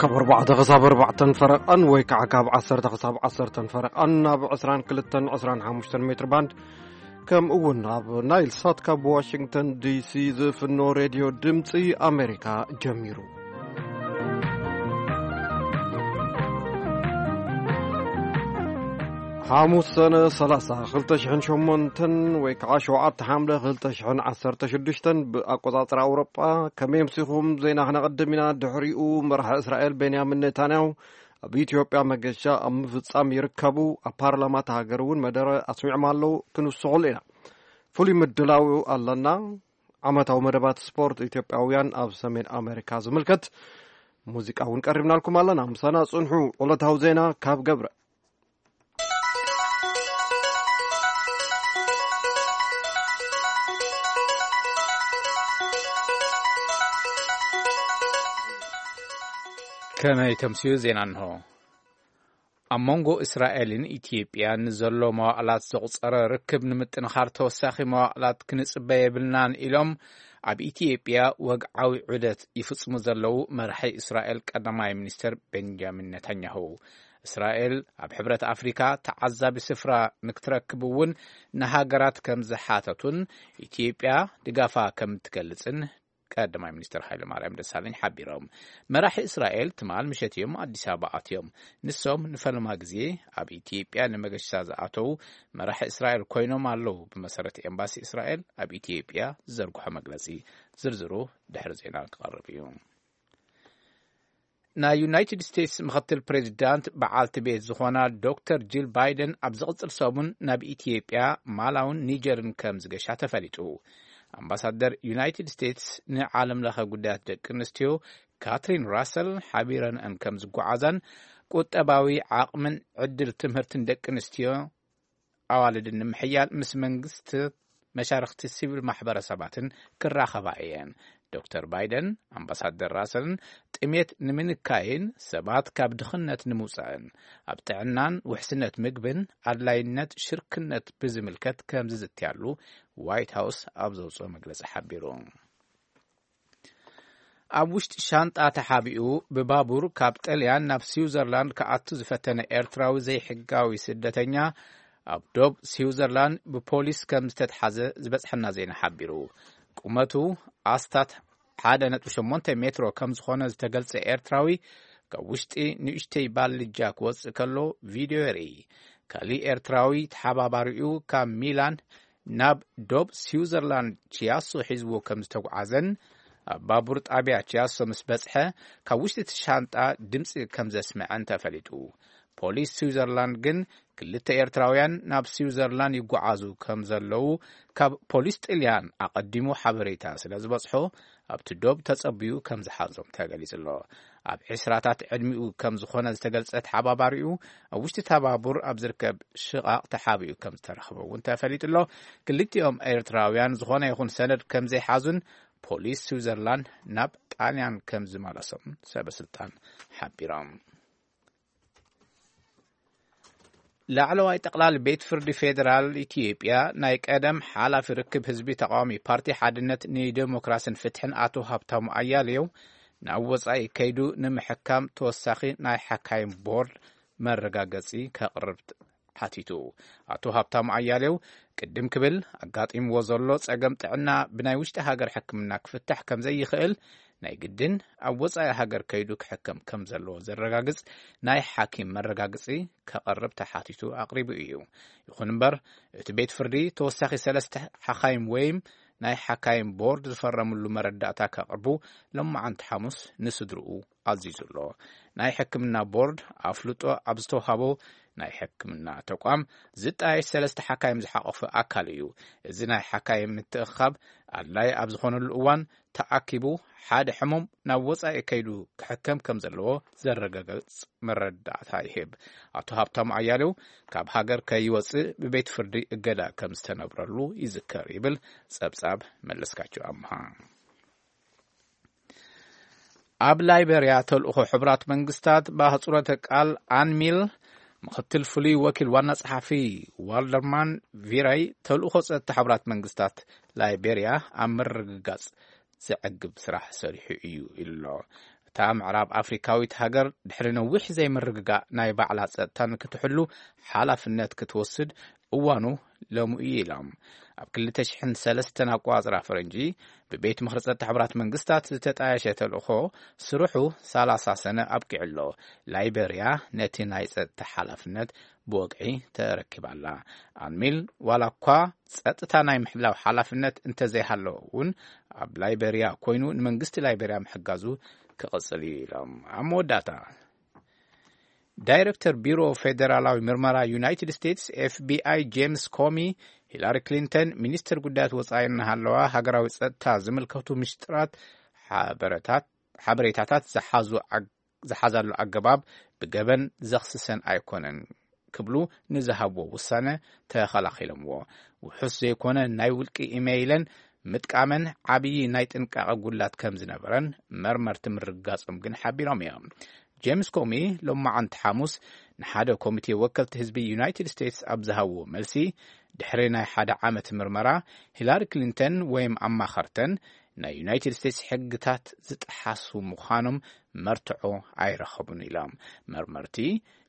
ካብ ኣርባዕተ ክሳብ ኣርባዕተን ፈረቓን ወይ ከዓ ካብ ዓሰርተ ክሳብ ዓሰርተን ፈረቓን ኣብ ዕስራን ክልተን ዕስራን ሓሙሽተን ሜትር ባንድ፣ ከምኡ እውን ኣብ ናይል ሳት ካብ ዋሽንግተን ዲሲ ዝፍኖ ሬድዮ ድምፂ ኣሜሪካ ጀሚሩ። ሓሙስ ሰነ ሰላሳ ክልተ ሽሕን ሸሞንተን ወይ ከዓ ሸውዓተ ሓምለ ክልተ ሽሕን ዓሰርተ ሽዱሽተን ብኣቆጻጽራ ኣውሮጳ። ከመይ ኣምሲኹም? ዜና ክነቐድም ኢና። ድሕሪኡ መራሒ እስራኤል ቤንያሚን ኔታንያሁ ኣብ ኢትዮጵያ መገሻ ኣብ ምፍጻም ይርከቡ። ኣብ ፓርላማ እታ ሃገር እውን መደረ ኣስሚዖም ኣለዉ። ክንውስኸሉ ኢና። ፍሉይ ምድላው ኣለና። ዓመታዊ መደባት ስፖርት ኢትዮጵያውያን ኣብ ሰሜን ኣሜሪካ ዝምልከት ሙዚቃ እውን ቀሪብናልኩም ኣለና። ምሳና ጽንሑ። ዕለታዊ ዜና ካብ ገብረ። ከመይ ተምስዩ ዜና እንሆ። ኣብ መንጎ እስራኤልን ኢትዮጵያን ንዘሎ መዋዕላት ዘቑጸረ ርክብ ንምጥንኻር ተወሳኺ መዋዕላት ክንጽበ የብልናን ኢሎም ኣብ ኢትዮጵያ ወግዓዊ ዑደት ይፍጽሙ ዘለዉ መራሒ እስራኤል ቀዳማይ ሚኒስትር ቤንጃሚን ኔታንያሁ። እስራኤል ኣብ ሕብረት ኣፍሪካ ተዓዛቢ ስፍራ ንክትረክብ እውን ንሃገራት ከም ዝሓተቱን ኢትዮጵያ ድጋፋ ከም ትገልጽን ቀዳማይ ሚኒስትር ሃይለማርያም ደሳለኝ ሓቢሮም። መራሒ እስራኤል ትማል ምሸት እዮም ኣዲስ ኣበባ ኣትዮም። ንሶም ንፈለማ ግዜ ኣብ ኢትዮጵያ ንመገሻ ዝኣተዉ መራሒ እስራኤል ኮይኖም ኣለዉ። ብመሰረት ኤምባሲ እስራኤል ኣብ ኢትዮጵያ ዝዘርግሖ መግለጺ፣ ዝርዝሩ ድሕሪ ዜና ክቐርብ እዩ። ናይ ዩናይትድ ስቴትስ ምኽትል ፕሬዚዳንት በዓልቲ ቤት ዝኾና ዶክተር ጂል ባይደን ኣብ ዝቕጽል ሰሙን ናብ ኢትዮጵያ፣ ማላውን ኒጀርን ከም ዝገሻ ተፈሊጡ። ኣምባሳደር ዩናይትድ ስቴትስ ንዓለም ለኸ ጉዳያት ደቂ ኣንስትዮ ካትሪን ራሰል ሓቢረንአን ከም ዝጓዓዛን ቁጠባዊ ዓቕምን ዕድል ትምህርትን ደቂ ኣንስትዮ ኣዋልድን ንምሕያል ምስ መንግስቲ፣ መሻርኽቲ ሲቪል ማሕበረሰባትን ክራኸባ እየን። ዶክተር ባይደን ኣምባሳደር ራሰልን ጥሜት ንምንካይን ሰባት ካብ ድኽነት ንምውፃእን ኣብ ጥዕናን ውሕስነት ምግብን ኣድላይነት ሽርክነት ብዝምልከት ከም ዝዝትያሉ ዋይት ሃውስ ኣብ ዘውፅኦ መግለፂ ሓቢሩ። ኣብ ውሽጢ ሻንጣ ተሓቢኡ ብባቡር ካብ ጥልያን ናብ ስዊዘርላንድ ክኣቱ ዝፈተነ ኤርትራዊ ዘይሕጋዊ ስደተኛ ኣብ ዶብ ስዊዘርላንድ ብፖሊስ ከም ዝተትሓዘ ዝበጽሐና ዜና ሓቢሩ። ቁመቱ ኣስታት ሓደ ነጥቢ ሸሞንተ ሜትሮ ከም ዝኾነ ዝተገልጸ ኤርትራዊ፣ ካብ ውሽጢ ንእሽተይ ባልጃ ክወጽእ ከሎ ቪድዮ የርኢ። ካሊእ ኤርትራዊ ተሓባባሪኡ ካብ ሚላን ናብ ዶብ ስዊዘርላንድ ቺያሶ ሒዝዎ ከም ዝተጓዓዘን፣ ኣብ ባቡር ጣብያ ቺያሶ ምስ በጽሐ፣ ካብ ውሽጢ እቲ ሻንጣ ድምጺ ከም ዘስምዐን ተፈሊጡ። ፖሊስ ስዊዘርላንድ ግን፣ ክልተ ኤርትራውያን ናብ ስዊዘርላንድ ይጓዓዙ ከም ዘለዉ ካብ ፖሊስ ጥልያን ኣቐዲሙ ሓበሬታ ስለ ዝበጽሖ፣ ኣብቲ ዶብ ተጸብዩ ከም ዝሓዞም ተገሊጹ ኣሎ። ኣብ ዕስራታት ዕድሚኡ ከም ዝኾነ ዝተገልጸ ተሓባባሪኡ፣ ኣብ ውሽጢ እታ ባቡር ኣብ ዝርከብ ሽቓቕ ተሓቢኡ ከም ዝተረኽበ እውን ተፈሊጡ ኣሎ። ክልቲኦም ኤርትራውያን ዝኾነ ይኹን ሰነድ ከም ዘይሓዙን ፖሊስ ስዊዘርላንድ ናብ ጣልያን ከም ዝመለሶም ሰበ ስልጣን ሓቢሮም። ላዕለዋይ ጠቕላሊ ቤት ፍርዲ ፌዴራል ኢትዮጵያ፣ ናይ ቀደም ሓላፊ ርክብ ህዝቢ ተቃዋሚ ፓርቲ ሓድነት ንዴሞክራስን ፍትሕን ኣቶ ሃብታሙ ኣያሌው፣ ናብ ወጻኢ ከይዱ ንምሕካም ተወሳኺ ናይ ሓካይም ቦርድ መረጋገጺ ከቕርብ ሓቲቱ። ኣቶ ሃብታሙ ኣያሌው ቅድም ክብል፣ ኣጋጢምዎ ዘሎ ጸገም ጥዕና ብናይ ውሽጢ ሃገር ሕክምና ክፍታሕ ከም ዘይኽእል፣ ናይ ግድን ኣብ ወጻኢ ሃገር ከይዱ ክሕከም ከም ዘለዎ ዘረጋግጽ ናይ ሓኪም መረጋግጺ ከቐርብ ተሓቲቱ ኣቕሪቡ እዩ። ይኹን እምበር፣ እቲ ቤት ፍርዲ ተወሳኺ ሰለስተ ሓካይም ወይም ናይ ሓካይም ቦርድ ዝፈረምሉ መረዳእታ ከቕርቡ፣ ሎማዓንቲ ሓሙስ ንስድርኡ ኣዚዙ ኣሎ። ናይ ሕክምና ቦርድ ኣፍልጦ ኣብ ዝተውሃቦ ናይ ሕክምና ተቋም፣ ዝጣየሽ ሰለስተ ሓካይም ዝሓቆፈ ኣካል እዩ። እዚ ናይ ሓካይም ምትእኻብ ኣድላይ ኣብ ዝኾነሉ እዋን ተኣኪቡ፣ ሓደ ሕሙም ናብ ወጻኢ ከይዱ ክሕከም ከም ዘለዎ ዘረጋግጽ መረዳእታ ይህብ። ኣቶ ሃብታሙ ኣያሌው፣ ካብ ሃገር ከይወጽእ ብቤት ፍርዲ እገዳ ከም ዝተነብረሉ ይዝከር፣ ይብል ጸብጻብ መለስካቸው ኣምሃ። ኣብ ላይቤርያ፣ ተልእኾ ሕቡራት መንግስታት፣ ብኣህጽሮተ ቃል ኣንሚል፣ ምኽትል ፍሉይ ወኪል ዋና ጸሓፊ ዋልደርማን ቪራይ፣ ተልእኾ ጸጥታ ሕቡራት መንግስታት ላይቤርያ ኣብ ምርግጋጽ ዘዕግብ ስራሕ ሰሪሑ እዩ ኢሉ ኣሎ። እታ ምዕራብ ኣፍሪካዊት ሃገር ድሕሪ ነዊሕ ዘይምርግጋእ ናይ ባዕላ ጸጥታ ንክትሕሉ ሓላፍነት ክትወስድ እዋኑ ሎሚ እዩ ኢሎም። ኣብ ክልተ ሽሕን ሰለስተን ኣቆጻጽራ ፈረንጂ ብቤት ምኽሪ ጸጥታ ሕቡራት መንግስታት ዝተጣየሸ ተልእኾ ስርሑ ሰላሳ ሰነ ኣብቂዑ ኣሎ። ላይበርያ ነቲ ናይ ጸጥታ ሓላፍነት ብወግዒ ተረኪባ ኣላ። ኣንሚል ዋላ እኳ ጸጥታ ናይ ምሕላው ሓላፍነት እንተዘይሃለዎ እውን ኣብ ላይበርያ ኮይኑ ንመንግስቲ ላይበርያ ምሕጋዙ ክቕጽል እዩ ኢሎም። ኣብ መወዳእታ ዳይረክተር ቢሮ ፌደራላዊ ምርመራ ዩናይትድ ስቴትስ ኤፍቢኣይ ጄምስ ኮሚ ሂላሪ ክሊንተን ሚኒስትር ጉዳያት ወጻኢ እናሃለዋ ሃገራዊ ጸጥታ ዝምልከቱ ምሽጥራት ሓበረታት ሓበሬታታት ዝሓዙ ኣግ- ዝሓዛሉ ኣገባብ ብገበን ዘኽስሰን ኣይኮነን ክብሉ ንዝሃብዎ ውሳነ ተኸላኺሎምዎ። ውሑስ ዘይኮነ ናይ ውልቂ ኢሜይለን ምጥቃመን ዓብዪ ናይ ጥንቃቐ ጉላት ከም ዝነበረን መርመርቲ ምርግጋጾም ግን ሓቢሮም እዮም። ጄምስ ኮሚ ሎማዓንቲ ሓሙስ ንሓደ ኮሚቴ ወከልቲ ህዝቢ ዩናይትድ ስቴትስ ኣብ ዝሃብዎ መልሲ ድሕሪ ናይ ሓደ ዓመት ምርመራ ሂላሪ ክሊንተን ወይም ኣማኸርተን ናይ ዩናይትድ ስቴትስ ሕግታት ዝጠሓሱ ምዃኖም መርትዖ ኣይረኸቡን ኢሎም። መርመርቲ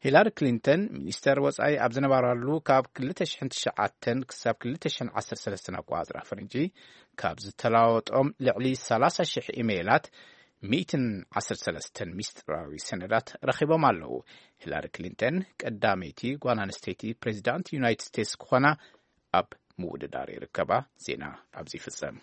ሂላሪ ክሊንተን ሚኒስተር ወጻኢ ኣብ ዝነበራሉ ካብ ክልተ ሽሕን ትሽዓተን ክሳብ ክልተ ሽሕን ዓሰርተ ሰለስተን ኣቆጻጽራ ፈረንጂ ካብ ዝተለዋወጦም ልዕሊ ሰላሳ ሽሕ ኢሜይላት ሚእትን ዓሰርተ ሰለስተን ሚስጥራዊ ሰነዳት ረኺቦም ኣለዉ። ሂላሪ ክሊንተን ቀዳመይቲ ጓል ኣንስተይቲ ፕሬዚዳንት ዩናይትድ ስቴትስ ክኾና ኣብ ምውድዳር ይርከባ። ዜና ኣብዚ ይፍጸም።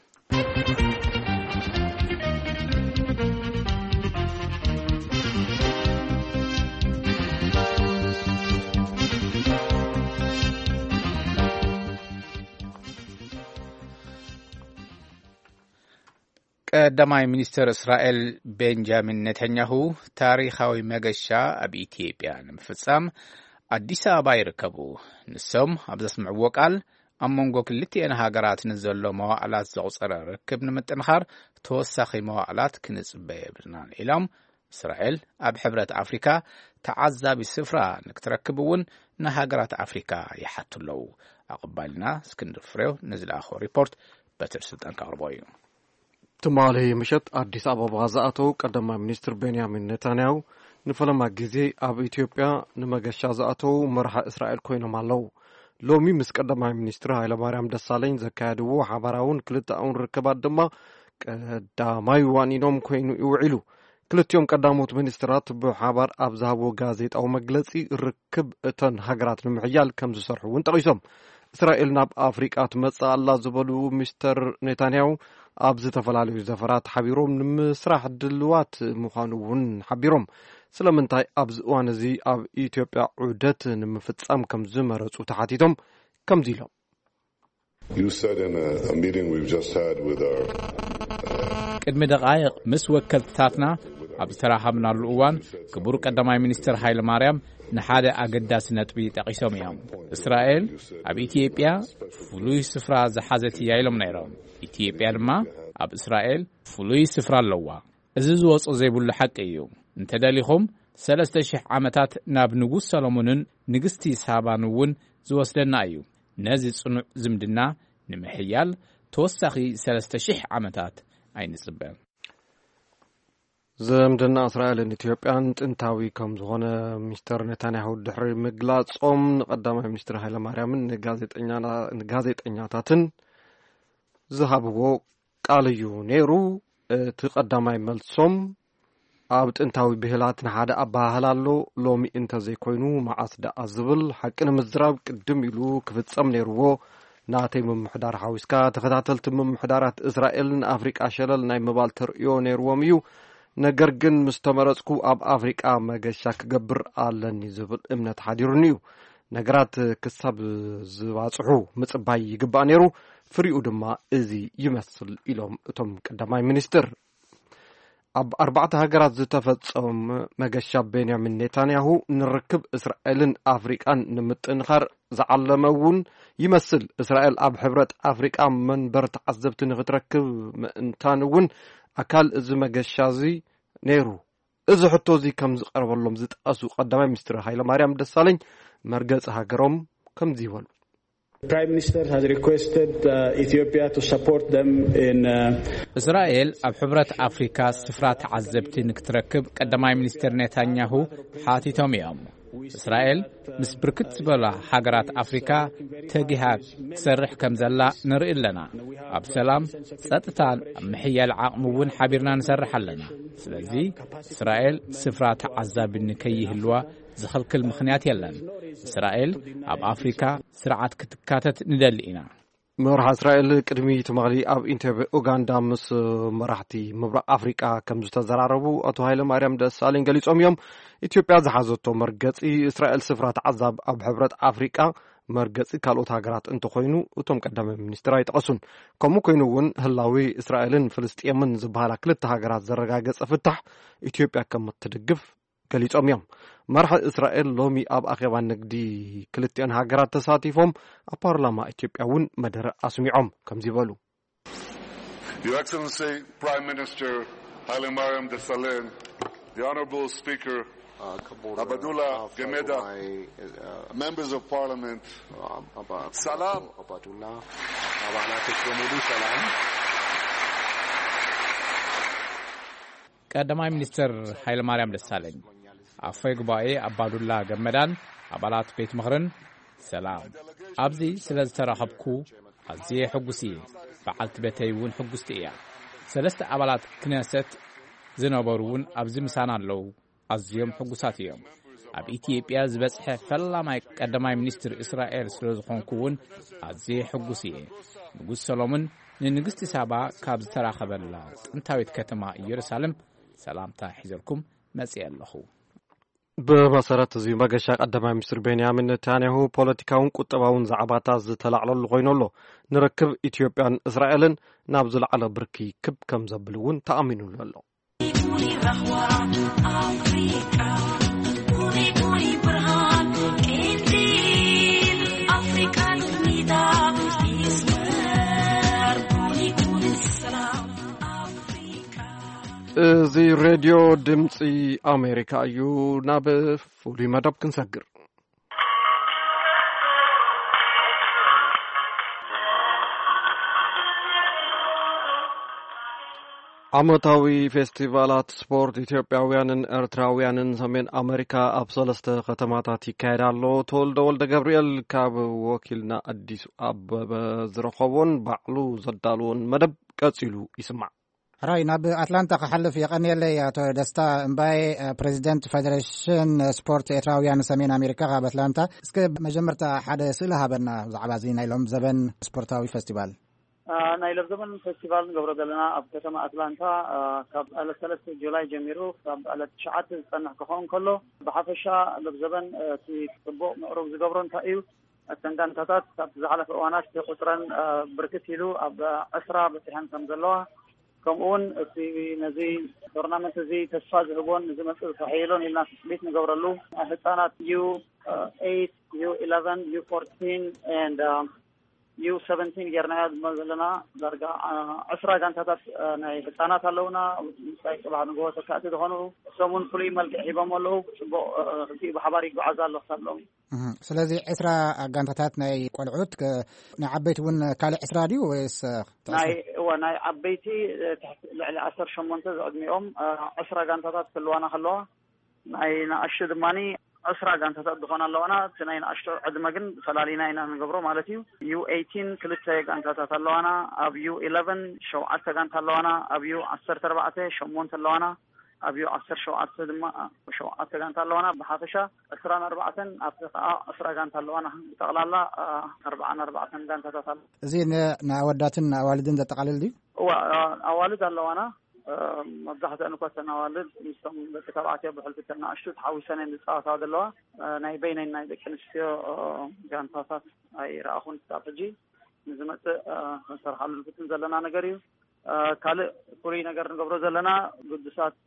ቀዳማይ ሚኒስትር እስራኤል ቤንጃሚን ኔታንያሁ ታሪኻዊ መገሻ ኣብ ኢትዮጵያ ንምፍጻም ኣዲስ ኣበባ ይርከቡ። ንሶም ኣብ ዘስምዕዎ ቃል ኣብ መንጎ ክልቲኤን ሃገራት ንዘሎ መዋዕላት ዘቑጸረ ርክብ ንምጥንኻር ተወሳኺ መዋዕላት ክንጽበ የብልናን ኢሎም። እስራኤል ኣብ ሕብረት ኣፍሪካ ተዓዛቢ ስፍራ ንክትረክብ እውን ንሃገራት ኣፍሪካ ይሓቱ ኣለዉ። ኣቐባልና እስክንድር ፍሬው ንዝለኣኾ ሪፖርት በትር ስልጣን ከቕርቦ እዩ። ትማሊ ምሸት ኣዲስ ኣበባ ዝኣተው ቀዳማይ ሚኒስትር ቤንያሚን ኔታንያሁ ንፈለማ ግዜ ኣብ ኢትዮጵያ ንመገሻ ዝኣተው መራሒ እስራኤል ኮይኖም ኣለዉ። ሎሚ ምስ ቀዳማይ ሚኒስትር ሃይለማርያም ደሳለኝ ዘካየድዎ ሓባራውን ክልተኣውን ርክባት ድማ ቀዳማይ ዋኒኖም ኮይኑ ይውዒሉ። ክልቲኦም ቀዳሞት ሚኒስትራት ብሓባር ኣብ ዝሃብዎ ጋዜጣዊ መግለጺ ርክብ እተን ሃገራት ንምሕያል ከም ዝሰርሑ እውን ጠቒሶም። እስራኤል ናብ ኣፍሪቃ ትመጽእ ኣላ ዝበሉ ሚስተር ኔታንያሁ ኣብ ዝተፈላለዩ ዘፈራት ሓቢሮም ንምስራሕ ድልዋት ምዃኑ እውን ሓቢሮም። ስለምንታይ ኣብዚ እዋን እዚ ኣብ ኢትዮጵያ ዑደት ንምፍጻም ከም ዝመረጹ ተሓቲቶም ከምዚ ኢሎም። You said in a, a meeting we've just had with our ቅድሚ ደቓይቕ ምስ ወከልትታትና ኣብ ዝተራኸብናሉ እዋን ክቡር ቀዳማይ ሚኒስትር ሃይለ ማርያም ንሓደ ኣገዳሲ ነጥቢ ጠቒሶም እዮም። እስራኤል ኣብ ኢትዮጵያ ፍሉይ ስፍራ ዝሓዘት እያ ኢሎም ነይሮም። ኢትዮጵያ ድማ ኣብ እስራኤል ፍሉይ ስፍራ ኣለዋ። እዚ ዝወጾ ዘይብሉ ሓቂ እዩ። እንተደሊኹም ሰለስተ ሽሕ ዓመታት ናብ ንጉስ ሰሎሞንን ንግስቲ ሳባን እውን ዝወስደና እዩ። ነዚ ጽኑዕ ዝምድና ንምሕያል ተወሳኺ ሰለስተ ሽሕ ዓመታት ኣይንጽበ። ዝምድና እስራኤልን ኢትዮጵያን ጥንታዊ ከም ዝኾነ ሚስተር ኔታንያሁ ድሕሪ ምግላጾም ንቀዳማይ ሚኒስትር ሃይለማርያምን ንጋዜጠኛ- ንጋዜጠኛታትን ዝሃብዎ ቃል እዩ ነይሩ። እቲ ቀዳማይ መልሶም ኣብ ጥንታዊ ብሂላት ንሓደ ኣበሃህላ ኣሎ፣ ሎሚ እንተዘይኮይኑ መዓስ ደኣ ዝብል ሓቂ ንምዝራብ ቅድም ኢሉ ክፍጸም ነይርዎ። ናተይ ምምሕዳር ሓዊስካ ተኸታተልቲ ምምሕዳራት እስራኤል ንኣፍሪቃ ሸለል ናይ ምባል ተርእዮ ነይርዎም እዩ። ነገር ግን ምስ ተመረጽኩ ኣብ ኣፍሪቃ መገሻ ክገብር ኣለኒ ዝብል እምነት ሓዲሩኒ እዩ። ነገራት ክሳብ ዝባጽሑ ምጽባይ ይግባእ ነይሩ። ፍሪኡ ድማ እዚ ይመስል ኢሎም እቶም ቀዳማይ ሚኒስትር። ኣብ ኣርባዕተ ሃገራት ዝተፈጸመ መገሻ ቤንያሚን ኔታንያሁ ንርክብ እስራኤልን ኣፍሪቃን ንምጥንኻር ዝዓለመ እውን ይመስል። እስራኤል ኣብ ሕብረት ኣፍሪቃ መንበር ተዓዘብቲ ንክትረክብ ምእንታን እውን ኣካል እዚ መገሻ እዚ ነይሩ። እዚ ሕቶ እዚ ከም ዝቐረበሎም ዝጠቐሱ ቀዳማይ ሚኒስትር ሃይለማርያም ደሳለኝ መርገጺ ሃገሮም ከምዚ ይበሉ። Prime Minister has requested uh, Ethiopia to support them in uh, እስራኤል ኣብ ሕብረት ኣፍሪካ ስፍራ ተዓዘብቲ ንክትረክብ ቀዳማይ ሚኒስትር ኔታንያሁ ሓቲቶም እዮም። እስራኤል ምስ ብርክት ዝበላ ሃገራት ኣፍሪካ ተጊሃ ትሰርሕ ከም ዘላ ንርኢ ኣለና። ኣብ ሰላም፣ ጸጥታን ኣብ ምሕያል ዓቕሚ እውን ሓቢርና ንሰርሕ ኣለና። ስለዚ እስራኤል ስፍራ ተዓዛቢ ንከይህልዋ ዝኸልክል ምኽንያት የለን። እስራኤል ኣብ ኣፍሪካ ስርዓት ክትካተት ንደሊ ኢና። መርሓ እስራኤል ቅድሚ ትማሊ ኣብ ኢንቴቤ ኡጋንዳ ምስ መራሕቲ ምብራቕ ኣፍሪቃ ከም ዝተዘራረቡ ኣቶ ሃይለ ማርያም ደሳለኝ ገሊጾም እዮም። ኢትዮጵያ ዝሓዘቶ መርገጺ እስራኤል ስፍራ ተዓዛብ ኣብ ሕብረት ኣፍሪቃ መርገጺ ካልኦት ሃገራት እንተኾይኑ እቶም ቀዳማይ ሚኒስትር ኣይጠቐሱን። ከምኡ ኮይኑ እውን ህላዊ እስራኤልን ፍልስጤምን ዝበሃላ ክልተ ሃገራት ዘረጋገጸ ፍታሕ ኢትዮጵያ ከም እትድግፍ ገሊጾም እዮም። መራሒ እስራኤል ሎሚ ኣብ ኣኼባ ንግዲ ክልቲኦን ሃገራት ተሳቲፎም ኣብ ፓርላማ ኢትዮጵያ እውን መደረ ኣስሚዖም ከምዚ በሉ። Your Excellency Prime Minister Haile Mariam Desalegn, the Honorable Speaker Abdullah Gemeda, Members of Parliament, ሰላም። አባዱላ አባላቶች በሙሉ ሰላም። ቀዳማይ ሚኒስትር ኃይለማርያም ደሳለኝ፣ ኣፈይ ጉባኤ ኣባዱላ ገመዳን ኣባላት ቤት ምኽርን ሰላም። ኣብዚ ስለ ዝተራኸብኩ ኣዝየ ሕጉስ እየ። በዓልቲ ቤተይ እውን ሕጉስቲ እያ። ሰለስተ ኣባላት ክነሰት ዝነበሩ እውን ኣብዚ ምሳና ኣለዉ። ኣዝዮም ሕጉሳት እዮም። ኣብ ኢትዮጵያ ዝበጽሐ ፈላማይ ቀዳማይ ሚኒስትር እስራኤል ስለ ዝኾንኩ እውን ኣዝየ ሕጉስ እየ። ንጉስ ሰሎሞን ንንግስቲ ሳባ ካብ ዝተራኸበላ ጥንታዊት ከተማ ኢየሩሳሌም ሰላምታ ሒዘልኩም መጽየ ኣለኹ። ብመሰረት እዚ መገሻ ቀዳማይ ሚኒስትር ቤንያሚን ኔታንያሁ ፖለቲካውን ቁጠባውን ዛዕባታት ዝተላዕለሉ ኮይኑ ኣሎ። ንርክብ ኢትዮጵያን እስራኤልን ናብ ዝለዓለ ብርኪ ክብ ከም ዘብል እውን ተኣሚኑሉ ኣሎ። እዚ ሬድዮ ድምፂ ኣሜሪካ እዩ። ናብ ፍሉይ መደብ ክንሰግር። ዓመታዊ ፌስቲቫላት ስፖርት ኢትዮጵያውያንን ኤርትራውያንን ሰሜን ኣመሪካ ኣብ ሰለስተ ከተማታት ይካየድ ኣሎ። ተወልደ ወልደ ገብርኤል ካብ ወኪልና ኣዲስ ኣበበ ዝረኸቦን ባዕሉ ዘዳልዎን መደብ ቀጺሉ ይስማዕ። ሕራይ ናብ ኣትላንታ ክሓልፍ የቐንየለይ ኣቶ ደስታ እምባዬ፣ ፕሬዚደንት ፌደሬሽን ስፖርት ኤርትራውያን ሰሜን ኣሜሪካ ካብ ኣትላንታ። እስከ መጀመርታ ሓደ ስእሊ ሃበና ብዛዕባ እዚ ናይ ሎም ዘበን ስፖርታዊ ፈስቲቫል። ናይ ለብዘበን ፌስቲቫል ንገብሮ ዘለና ኣብ ከተማ ኣትላንታ ካብ ዕለት ሰለስተ ጁላይ ጀሚሩ ካብ ዕለት ትሽዓተ ዝፀንሕ ክኸውን ከሎ፣ ብሓፈሻ ለብዘበን እቲ ፅቡቕ ምዕሩግ ዝገብሮ እንታይ እዩ? እተን ጋንታታት ካብቲ ዝሓለፈ እዋናት ቁፅረን ብርክት ኢሉ ኣብ ዕስራ በፂሐን ከም ዘለዋ፣ ከምኡውን እቲ ነዚ ቶርናመንት እዚ ተስፋ ዝህቦን ንዝመፅእ ዝከሐየሎን ኢልና ትፅቢት ንገብረሉ ህፃናት ዩ ኤይት፣ ዩ ኢለቨን፣ ዩ ፎርቲን ኤንድ ዩ ሰቨንቲን ጌርናዮ ድማ ዘለና ዳርጋ ዕስራ ጋንታታት ናይ ህፃናት ኣለውና። ምሳይ ፅባሕ ንግሆ ተካእቲ ዝኾኑ እሶም እውን ፍሉይ መልክዕ ሂቦም ኣለዉ። ፅቡቕ ርቲኡ ብሓባር ይጓዓዝ ኣሎ ክሳብ ሎሚ። ስለዚ ዕስራ ጋንታታት ናይ ቆልዑት፣ ናይ ዓበይቲ እውን ካልእ ዕስራ ድዩ ወይስ? ናይ እወ ናይ ዓበይቲ ትሕቲ ልዕሊ ዓሰርተ ሸሞንተ ዝዕድሚኦም ዕስራ ጋንታታት ክልዋና ከለዋ፣ ናይ ንኣሽቱ ድማ ዕስራ ጋንታታት ዝኾና ኣለዋና። እቲ ናይ ንኣሽቱ ዕድመ ግን ፈላሊና ኢና ንገብሮ ማለት እዩ። ዩ ኤይቲን ክልተ ጋንታታት ኣለዋና፣ ኣብ ዩ ኢለቨን ሸውዓተ ጋንታ ኣለዋና፣ ኣብ ዩ ዓሰርተ ኣርባዕተ ሸሞንተ ኣለዋና፣ ኣብ ዩ ዓሰርተ ሸውዓተ ድማ ሸውዓተ ጋንታ ኣለዋና። ብሓፈሻ ዕስራን ኣርባዕተን ኣብቲ ከዓ ዕስራ ጋንታ ኣለዋና። ብጠቕላላ ኣርባዓን ኣርባዕተን ጋንታታት ኣሎ። እዚ ንኣወዳትን ንኣዋልድን ዘጠቓልል ድዩ? እዋ፣ ኣዋልድ ኣለዋና። መብዛሕትአን እኳ እተን ኣዋልድ ምስቶም ደቂ ተባዕትዮ ብሕልፊ እተን ንኣሽቱ ተሓዊሰን እየን ዝፃወታ ዘለዋ። ናይ በይነን ናይ ደቂ ኣንስትዮ ጋንታታት ኣይረኣኹን ክሳብ ሕጂ። ንዝመፅእ ክንሰርሓሉ ንፍትን ዘለና ነገር እዩ። ካልእ ፍሉይ ነገር ንገብሮ ዘለና፣ ግዱሳት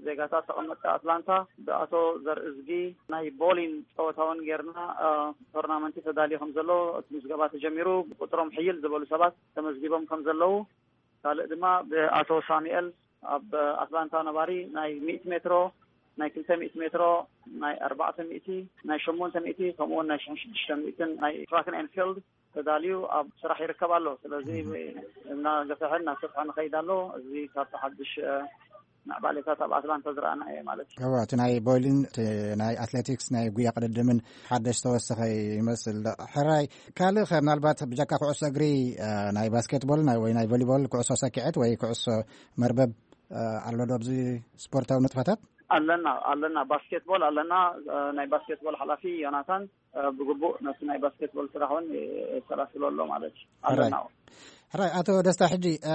ዜጋታት ተቐመጥቲ ኣትላንታ ብኣቶ ዘርእዝጊ ናይ ቦሊን ፀወታ እውን ጌርና፣ ቶርናመንቲ ተዳልዩ ከም ዘሎ፣ እቲ ምዝገባ ተጀሚሩ፣ ብቁፅሮም ሕይል ዝበሉ ሰባት ተመዝጊቦም ከም ዘለዉ፣ ካልእ ድማ ብኣቶ ሳሙኤል ኣብ ኣትላንታ ነባሪ ናይ ሚእቲ ሜትሮ ናይ ክልተ ሚእቲ ሜትሮ፣ ናይ ኣርባዕተ ሚእቲ፣ ናይ ሸሞንተ ሚእቲ፣ ከምኡ እውን ናይ ሽሕን ሽዱሽተ ሚእትን ናይ ትራክን ኤንፊልድ ተዳልዩ ኣብ ስራሕ ይርከብ ኣሎ። ስለዚ እናገፍሐ እናሰፍሐ ንኸይድ ኣሎ። እዚ ካብቲ ሓድሽ ምዕባሌታት ኣብ ኣትላንታ ዝረኣና እየ ማለት እዩ። እዎ፣ እቲ ናይ ቦይሊን፣ እቲ ናይ ኣትሌቲክስ፣ ናይ ጉያ ቅድድምን ሓደሽ ተወሰኸ ይመስል። ሕራይ፣ ካልእ ኸ ምናልባት ብጀካ ኩዕሶ እግሪ፣ እ፣ ናይ ባስኬትቦል፣ ናይ፣ ወይ ናይ ቮሊቦል፣ ኩዕሶ ሰኪዐት ወይ ኩዕሶ መርበብ፣ እ፣ ኣሎ ዶ ኣብዚ ስፖርታዊ ንጥፈታት? ኣለና፣ ኣለና። ባስኬትቦል ኣለና። እ፣ ናይ ባስኬትቦል ሓላፊ ዮናታን፣ እ፣ ብግቡእ ነቲ ናይ ባስኬትቦል ስራሕ እውን የሰላስሎ ኣሎ ማለት እዩ። ኣለና። ሕራይ፣ ኣቶ ደስታ፣ ሕጂ፣ እ፣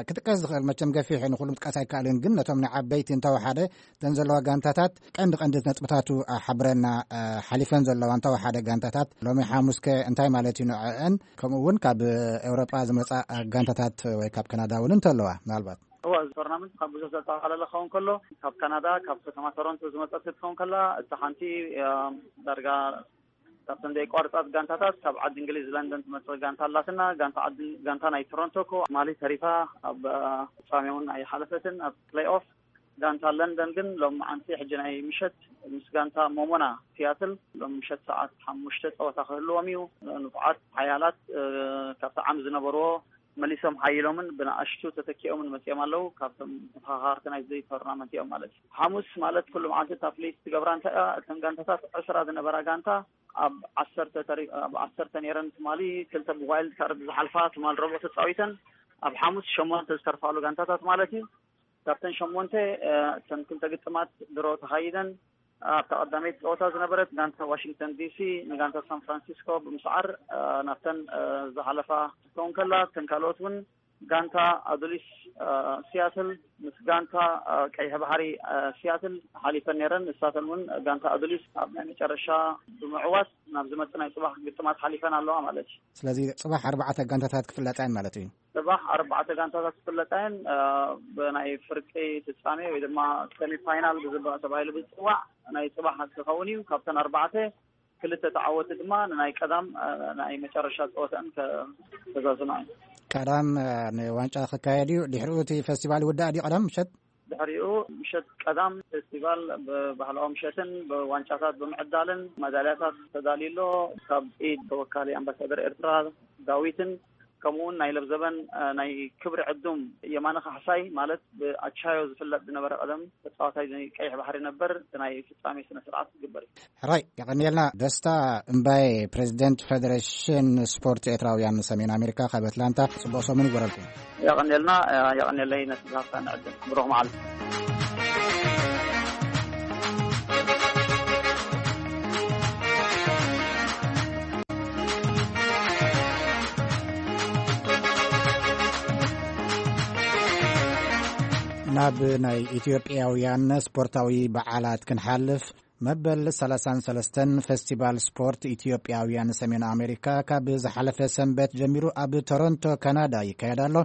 ክጥቀስ ዝኽእል መቸም ገፊሕ እዩ፣ ንኹሉ ምጥቃስ ኣይከኣልን፣ ግን ነቶም ናይ ዓበይቲ እንተወሓደ እተን ዘለዋ ጋንታታት ቀንዲ ቀንዲ ነጥብታቱ፣ እ፣ ሓብረና፣ እ፣ ሓሊፈን ዘለዋ እንተወሓደ ጋንታታት ሎሚ ሓሙስከ እንታይ ማለት እዩ ንዕአን? ከምኡ እውን ካብ ኤውሮጳ ዝመጻ ጋንታታት ወይ ካብ ካናዳ እውን እንተለዋ ምናልባት? እዋ፣ እዚ ቶርናመንት ካብ ብዙሕ ዘጠቓለለ ክኸውን ከሎ፣ ካብ ካናዳ፣ ካብ ከተማ ቶሮንቶ ዝመጸት ክትኸውን ከላ፣ እታ ሓንቲ፣ እ፣ ዳርጋ ካብተን ዘይቋርጻት ጋንታታት ካብ ዓዲ እንግሊዝ ለንደን ትመጽእ ጋንታ ኣላትና። ጋንታ ዓዲ፣ ጋንታ ናይ ቶሮንቶ እኮ ማሊ ተሪፋ ኣብ፣ እ፣ ፍጻሜ እውን ኣይሓለፈትን ኣብ ፕሌይ ኦፍ። ጋንታ ለንደን ግን ሎም መዓንቲ ሕጂ ናይ ምሸት ምስ ጋንታ ሞሞና ሲያትል ሎም ምሸት ሰዓት ሓሙሽተ ጸወታ ክህልዎም እዩ። ንፉዓት ሓያላት፣ እ፣ ካብቲ ዓም ዝነበርዎ መሊሶም ሓይሎምን ብንኣሽቱ ተተኪኦምን መጺኦም ኣለዉ። ካብቶም ተፈኻኻርቲ ናይዚ ቶርናመንት እዮም ማለት እዩ። ሓሙስ ማለት ኩሉ መዓልቲ እታ ፍልይቲ ትገብራ እንታይ እያ? እተን ጋንታታት ዕስራ ዝነበራ ጋንታ ኣብ ዓሰርተ ተሪ-፣ ኣብ ዓሰርተ ነይረን ትማሊ ክልተ ብዋይልድ ካርድ ዝሓልፋ ትማል ረቡዕ ተጻዊተን ኣብ ሓሙስ ሸሞንተ ዝተርፋሉ ጋንታታት ማለት እዩ። ካብተን ሸሞንተ፣ እ፣ እተን ክልተ ግጥማት ድሮ ተኻይደን ኣብታ ቀዳመይቲ ጸወታ ዝነበረት ጋንታ ዋሽንግተን ዲሲ ንጋንታ ሳን ፍራንሲስኮ ብምስዓር፣ እ፣ ናብተን፣ እ፣ ዝሓለፋ ክትከውን ከላ፣ እተን ካልኦት እውን ጋንታ ኣዱሊስ፣ እ፣ ሲያትል ምስ ጋንታ፣ እ፣ ቀይሕ ባሕሪ፣ እ፣ ሲያትል ሓሊፈን ነይረን። ንሳተን እውን ጋንታ ኣዱሊስ ኣብ ናይ መጨረሻ ብምዕዋት ናብ ዝመጽእ ናይ ጽባሕ ግጥማት ሓሊፈን ኣለዋ ማለት እዩ። ስለዚ ጽባሕ ኣርባዕተ ጋንታታት ክፍለጣ እየን ማለት እዩ። ጽባሕ ኣርባዕተ ጋንታታት ክፍለጣ እየን። እ፣ ብናይ ፍርቂ ፍጻሜ ወይ ድማ ሰሚ ፋይናል ብዝበ-፣ ተባሂሉ ብዝጽዋዕ ናይ ጽባሕ ክኸውን እዩ። ካብተን ኣርባዕተ ክልተ ተዓወቲ ድማ ንናይ ቀዳም፣ እ፣ ናይ መጨረሻ ጸወተን ከ-፣ ከዛዝማ እዩ። ቀዳም፣ እ፣ ንዋንጫ ክካየድ እዩ። ድሕሪኡ እቲ ፈስቲቫል ይውዳእ ድዩ ቀዳም ምሸት? ድሕሪኡ ምሸት ቀዳም ፌስቲቫል ብባህላዊ ምሸትን ብዋንጫታት ብምዕዳልን መዳልያታት ተዳልዩ ኣሎ። ካብ ኢድ ተወካሊ ኣምባሳደር ኤርትራ ዳዊትን ከምኡ እውን ናይ ለብዘበን፣ እ፣ ናይ ክብሪ ዕዱም የማነ ካሕሳይ ማለት ብኣቻዮ ዝፍለጥ ዝነበረ ቀደም ተጻዋታይ ናይ ቀይሕ ባሕሪ ነበር፣ እቲ ናይ ፍጻሜ ስነ ስርዓት ዝግበር እዩ። ሕራይ፣ የቐንየልና። ደስታ እምባዬ፣ ፕሬዚደንት ፌዴሬሽን ስፖርት ኤርትራውያን ሰሜን ኣሜሪካ፣ ካብ ኣትላንታ፣ ጽቡቕ ሰሙን ይግበረልኩም። የቐንየልና፣ የቐንየለይ ነቲ ዝሃብካኒ ዕድል። ብሩኽ መዓልቲ። ናብ ናይ ኢትዮጵያውያን ስፖርታዊ በዓላት ክንሓልፍ፣ መበል ሰላሳን ሰለስተን ፈስቲቫል ስፖርት ኢትዮጵያውያን ሰሜን ኣሜሪካ ካብ ዝሓለፈ ሰንበት ጀሚሩ ኣብ ቶሮንቶ ካናዳ ይካየድ ኣሎ።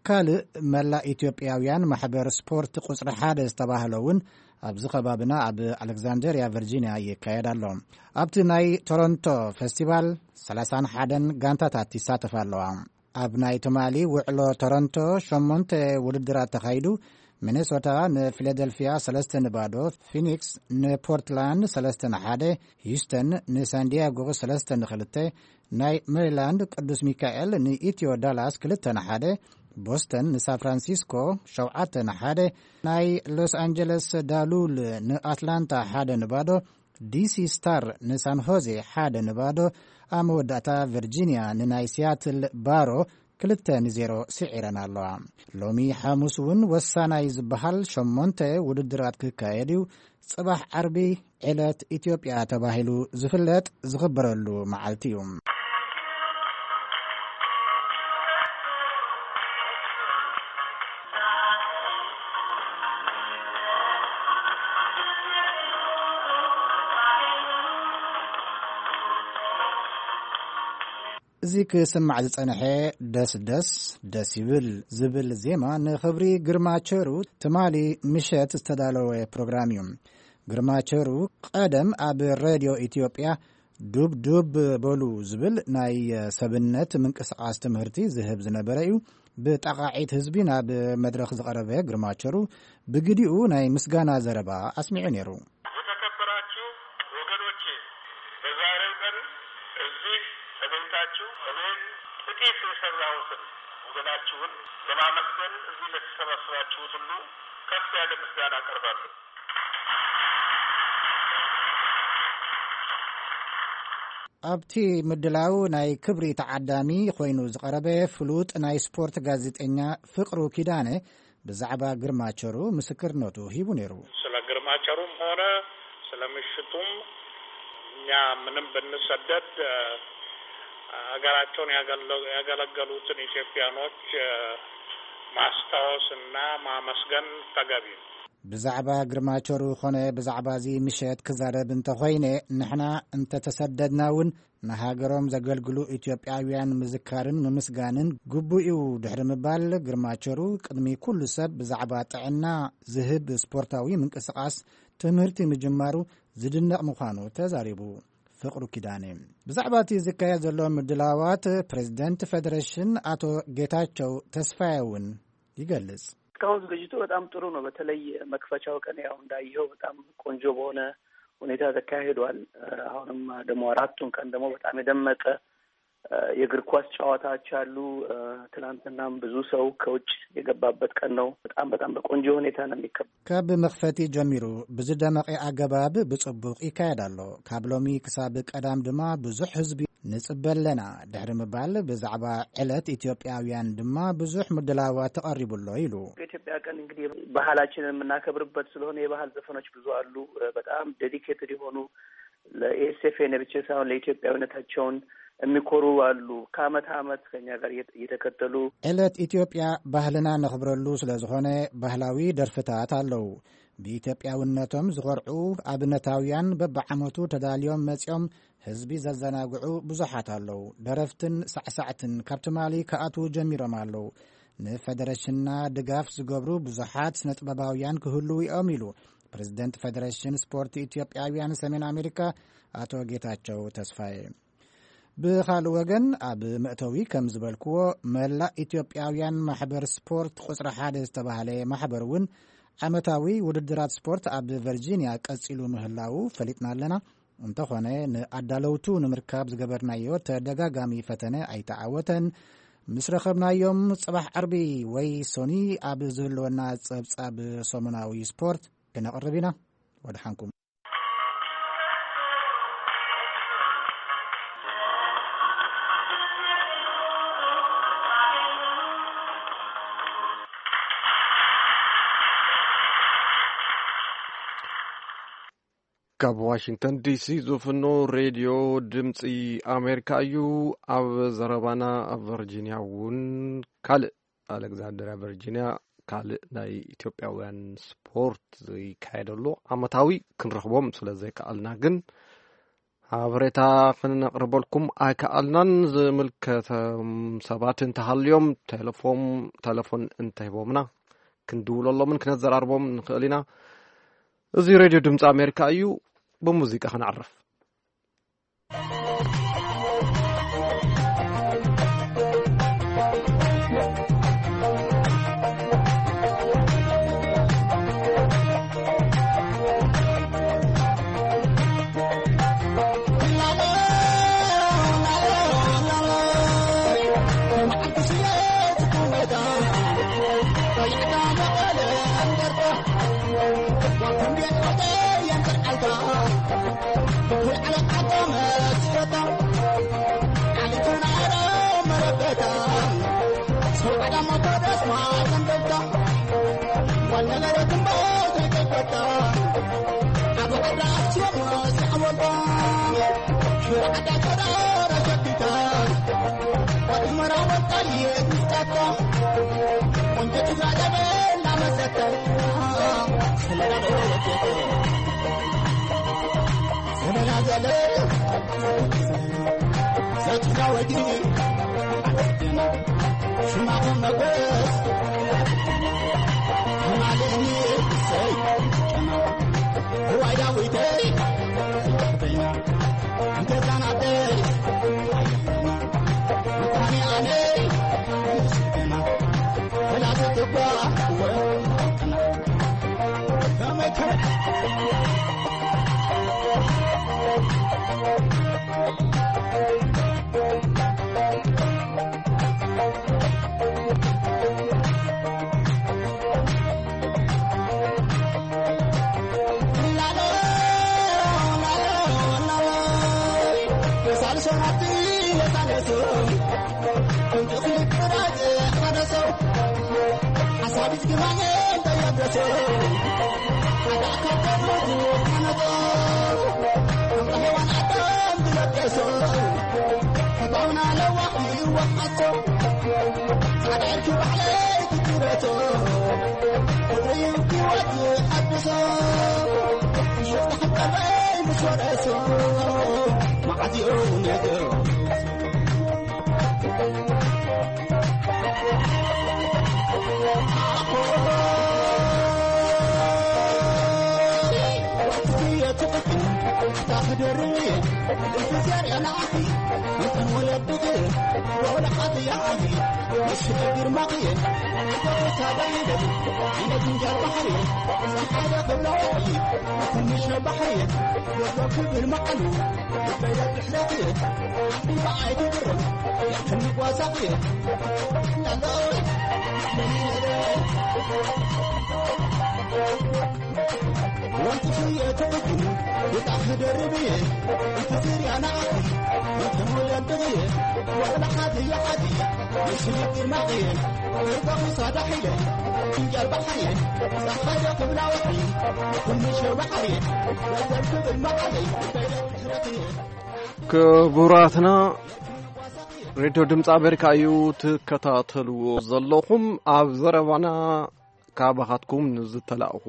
ካልእ መላእ ኢትዮጵያውያን ማሕበር ስፖርት ቁጽሪ ሓደ ዝተባህለ እውን ኣብዚ ከባብና ኣብ ኣሌክዛንደርያ ቨርጂንያ ይካየድ ኣሎ። ኣብቲ ናይ ቶሮንቶ ፈስቲቫል ሰላሳን ሓደን ጋንታታት ይሳተፋ ኣለዋ። ኣብ ናይ ትማሊ ውዕሎ ቶሮንቶ ሸሞንተ ውድድራት ተኻይዱ፣ ሚኔሶታ ንፊላደልፊያ ሰለስተ ንባዶ፣ ፊኒክስ ንፖርትላንድ ሰለስተ ንሓደ፣ ሂዩስተን ንሳንዲያጎ ሰለስተ ንኽልተ፣ ናይ ሜሪላንድ ቅዱስ ሚካኤል ንኢትዮ ዳላስ ክልተ ንሓደ፣ ቦስተን ንሳን ፍራንሲስኮ ሸውዓተ ንሓደ፣ ናይ ሎስ ኣንጀለስ ዳሉል ንኣትላንታ ሓደ ንባዶ፣ ዲሲ ስታር ንሳን ሆዜ ሓደ ንባዶ፣ ኣብ መወዳእታ ቨርጂንያ ንናይ ሲያትል ባሮ ክልተ ንዜሮ ስዒረን ኣለዋ። ሎሚ ሓሙስ እውን ወሳናይ ዝበሃል ሸሞንተ ውድድራት ክካየድ እዩ። ጽባሕ ዓርቢ ዕለት ኢትዮጵያ ተባሂሉ ዝፍለጥ ዝኽበረሉ መዓልቲ እዩ። እዚ ክስማዕ ዝጸንሐ ደስ ደስ ደስ ይብል ዝብል ዜማ ንኽብሪ ግርማ ቸሩ ትማሊ ምሸት ዝተዳለወ ፕሮግራም እዩ። ግርማ ቸሩ ቀደም ኣብ ሬድዮ ኢትዮጵያ ዱብ ዱብ በሉ ዝብል ናይ ሰብነት ምንቅስቓስ ትምህርቲ ዝህብ ዝነበረ እዩ። ብጣቓዒት ህዝቢ ናብ መድረኽ ዝቐረበ ግርማቸሩ ብግዲኡ ናይ ምስጋና ዘረባ ኣስሚዑ ነይሩ። የተከበራችሁ ወገኖቼ፣ በዛሬው ቀን እዚህ ተገኝታችሁ እኔን ጥቂት የሰራሁትን ወገናችሁን ለማመስገን እዚህ ለተሰባሰባችሁት ሁሉ ከፍ ያለ ምስጋና አቀርባለሁ። ኣብቲ ምድላው ናይ ክብሪ ተዓዳሚ ኮይኑ ዝቐረበ ፍሉጥ ናይ ስፖርት ጋዜጠኛ ፍቅሩ ኪዳነ ብዛዕባ ግርማቸሩ ምስክርነቱ ሂቡ ነይሩ። ስለ ግርማቸሩም ሆነ ስለ ምሽቱም እኛ ምንም ብንሰደድ፣ እ፣ ሀገራቸውን ያገለ-፣ ያገለገሉትን ኢትዮጵያኖች፣ እ፣ ማስታወስና ማመስገን ተገቢ ነው። ብዛዕባ ግርማቸሩ ኾነ ብዛዕባ እዚ ምሸት ክዛረብ እንተኾይነ፣ ንሕና እንተተሰደድና እውን ንሃገሮም ዘገልግሉ ኢትዮጵያውያን ምዝካርን ምምስጋንን ግቡእ እዩ። ድሕሪ ምባል፣ ግርማቸሩ ቅድሚ ኩሉ ሰብ ብዛዕባ ጥዕና ዝህብ ስፖርታዊ ምንቅስቓስ ትምህርቲ ምጅማሩ ዝድነቕ ምዃኑ ተዛሪቡ። ፍቕሩ ኪዳነ ብዛዕባ እቲ ዝካየድ ዘሎ ምድላዋት ፕሬዝደንት ፌደሬሽን ኣቶ ጌታቸው ተስፋዬ እውን ይገልጽ። እስካሁን ዝግጅቱ በጣም ጥሩ ነው። በተለይ መክፈቻው ቀን ያው እንዳየኸው በጣም ቆንጆ በሆነ ሁኔታ ተካሂዷል። እ፣ አሁንም ደግሞ አራቱን ቀን ደግሞ በጣም የደመቀ፣ እ፣ የእግር ኳስ ጨዋታዎች አሉ። እ፣ ትናንትናም ብዙ ሰው ከውጭ የገባበት ቀን ነው። በጣም በጣም በቆንጆ ሁኔታ ነው የሚከበረው። ካብ መኽፈቲ ጀሚሩ ብዝደመቐ ኣገባብ ብጽቡቕ ይካየድ ኣሎ። ካብ ሎሚ ክሳብ ቀዳም ድማ ብዙሕ ህዝቢ ንጽበ ኣለና ድሕሪ ምባል፣ ብዛዕባ ዕለት ኢትዮጵያውያን ድማ ብዙሕ ምድላዋት ተቐሪቡ ኣሎ ኢሉ። የኢትዮጵያ ቀን እንግዲህ ባህላችንን የምናከብርበት ስለሆነ የባህል ዘፈኖች ብዙ አሉ። በጣም ዴዲኬትድ የሆኑ ለኤስኤፍኤን ብቻ ሳይሆን ለኢትዮጵያዊነታቸውን የሚኮሩ አሉ። ከአመት አመት ከኛ ጋር እየተ-፣ እየተከተሉ ዕለት ኢትዮጵያ ባህልና ነኽብረሉ ስለ ዝኾነ ባህላዊ ደርፍታት ኣለዉ። ብኢትዮጵያውነቶም ዝኾርዑ ኣብነታውያን በብዓመቱ ተዳልዮም መጺኦም ህዝቢ ዘዘናግዑ ብዙሓት ኣለዉ። ደረፍትን ሳዕሳዕትን ካብ ትማሊ ክኣትዉ ጀሚሮም ኣለዉ። ንፈደረሽንና ድጋፍ ዝገብሩ ብዙሓት ስነ ጥበባውያን ክህልዉ እዮም ኢሉ ፕሬዝደንት ፈደረሽን ስፖርት ኢትዮጵያውያን ሰሜን ኣሜሪካ ኣቶ ጌታቸው ተስፋዬ። ብኻልእ ወገን፣ ኣብ መእተዊ ከም ዝበልክዎ፣ መላእ ኢትዮጵያውያን ማሕበር ስፖርት ቁጽሪ ሓደ ዝተባህለ ማሕበር እውን ዓመታዊ ውድድራት ስፖርት ኣብ ቨርጂንያ ቀጺሉ ምህላዉ ፈሊጥና ኣለና። እንተኾነ፣ ንኣዳለውቱ ንምርካብ ዝገበርናዮ ተደጋጋሚ ፈተነ ኣይተዓወተን። ምስ ረኸብናዮም፣ ጽባሕ ዓርቢ ወይ ሶኒ ኣብ ዝህልወና ጸብጻብ ሰሙናዊ ስፖርት ክነቕርብ ኢና። ወድሓንኩም። ካብ ዋሽንግተን ዲሲ ዝፍኖ ሬድዮ ድምፂ ኣሜሪካ እዩ። ኣብ ዘረባና ኣብ ቨርጂንያ እውን ካልእ ኣሌክዛንድሪያ ቨርጂንያ ካልእ ናይ ኢትዮጵያውያን ስፖርት ዝካየደሉ ዓመታዊ ክንረኽቦም ስለ ዘይከኣልና ግን ሓበሬታ ክነቕርበልኩም ኣይከኣልናን። ዝምልከቶም ሰባት እንተሃልዮም ቴሌፎም-፣ ቴሌፎን እንተሂቦምና ክንድውለሎምን ክነዘራርቦም ንኽእል ኢና። እዚ ሬድዮ ድምፂ ኣሜሪካ እዩ። ብሙዚቃ ክነዕርፍ። ሸራቲ የታለሱ ከምቲ ክልጥራጭ ሓደ ሰው ሓሳቢት ግማኔ እንተየብረሱ ሓደ ኣካል ተብረቱ ሓነቶ ከምታ ሔዋን ኣዳም ዝለገሱ ፈታውና ለዋሕ ይወሓሶ ጻዕዳ ዕርኪ ባዕለይ ትትረቶ ፍቕሪ ህይወት ሓድሶ ሽፍታ ሕቀረይ ምስ ወረሶ ክቡራትና፣ ሬድዮ ድምፂ ኣሜሪካ እዩ ትከታተልዎ ዘለኹም። ኣብ ዘረባና ካባኻትኩም ንዝተላእኹ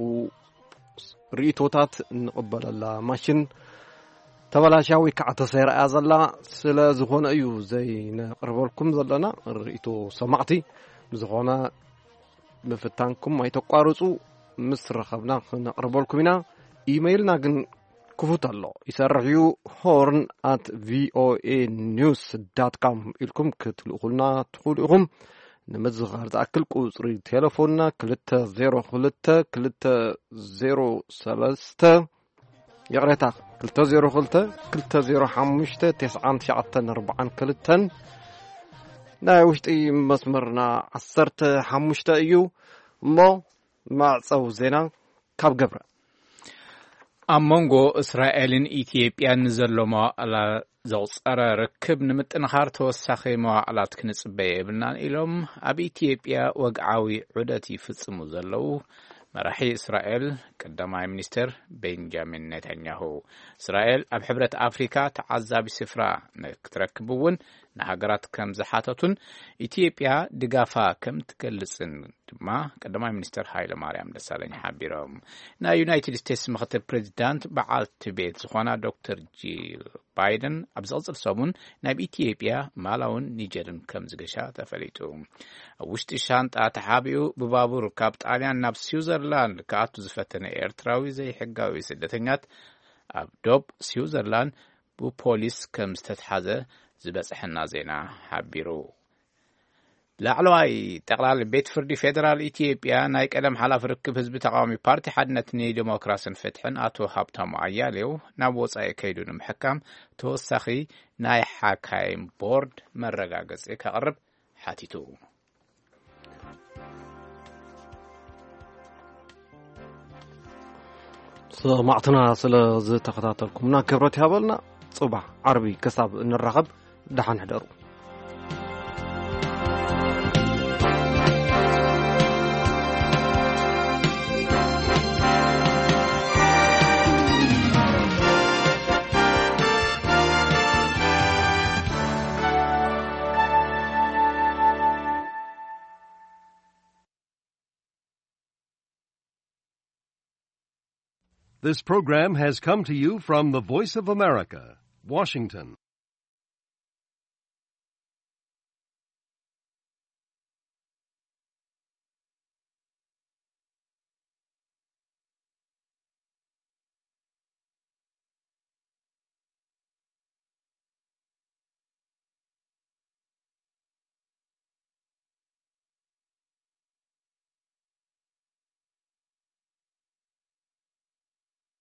ርእይቶታት እንቕበለላ ማሽን ተበላሽያ ወይ ከዓ ተሰይራ እያ ዘላ። ስለ ዝኾነ እዩ ዘይነቕርበልኩም ዘለና ርእይቶ ሰማዕቲ። ብዝኾነ ምፍታንኩም ኣይተቋርፁ። ምስ ረኸብና ክነቕርበልኩም ኢና። ኢመይልና ግን ክፉት ኣሎ፣ ይሰርሕ እዩ። ሆርን ኣት ቪኦኤ ኒውስ ዳት ካም ኢልኩም ክትልእኹልና ትኽእሉ ኢኹም። ንምዝኻር ዝኣክል ቁፅሪ ቴሌፎንና ክልተ ዜሮ ክልተ ክልተ ዜሮ ሰለስተ፣ ይቕሬታ፣ ክልተ ዜሮ ክልተ ክልተ ዜሮ ሓሙሽተ ተስዓን ትሽዓተን ኣርባዓን ክልተን፣ ናይ ውሽጢ መስመርና ዓሰርተ ሓሙሽተ እዩ። እሞ መዕፀዊ ዜና ካብ ገብረ። ኣብ መንጎ እስራኤልን ኢትዮጵያን ንዘሎ መዋዕላ ዘቑጸረ ርክብ ንምጥንኻር ተወሳኺ መዋዕላት ክንጽበ የብልናን ኢሎም ኣብ ኢትዮጵያ ወግዓዊ ዑደት ይፍጽሙ ዘለዉ መራሒ እስራኤል ቀዳማይ ሚኒስትር ቤንጃሚን ኔታንያሁ። እስራኤል ኣብ ሕብረት ኣፍሪካ ተዓዛቢ ስፍራ ክትረክብ እውን ንሃገራት ከም ዝሓተቱን ኢትዮጵያ ድጋፋ ከም ትገልጽን ድማ ቀዳማይ ሚኒስትር ሃይለ ማርያም ደሳለኝ ሓቢሮም። ናይ ዩናይትድ ስቴትስ ምክትል ፕሬዚዳንት በዓልቲ ቤት ዝኾና ዶክተር ጂል ባይደን ኣብ ዝቕጽል ሰሙን ናብ ኢትዮጵያ፣ ማላውን ኒጀርን ከም ዝገሻ ተፈሊጡ። ኣብ ውሽጢ ሻንጣ ተሓቢኡ ብባቡር ካብ ጣልያን ናብ ስዊዘርላንድ ክኣቱ ዝፈተነ ኤርትራዊ ዘይሕጋዊ ስደተኛት ኣብ ዶብ ስዊዘርላንድ ብፖሊስ ከም ዝተትሓዘ ዝበጽሐና ዜና ሓቢሩ። ላዕለዋይ ጠቕላሊ ቤት ፍርዲ ፌደራል ኢትዮጵያ ናይ ቀደም ሓላፊ ርክብ ህዝቢ ተቃዋሚ ፓርቲ ሓድነት ንዲሞክራስን ፍትሕን ኣቶ ሃብታሙ ኣያሌው ናብ ወጻኢ ከይዱ ንምሕካም ተወሳኺ ናይ ሓካይም ቦርድ መረጋገጺ ከቕርብ ሓቲቱ። ሰማዕትና ስለ ዝተኸታተልኩምና ክብረት ይሃበልና። ጽባሕ ዓርቢ ክሳብ እንራኸብ ደሓን ሕደሩ። This program has come to you from the Voice of America, Washington.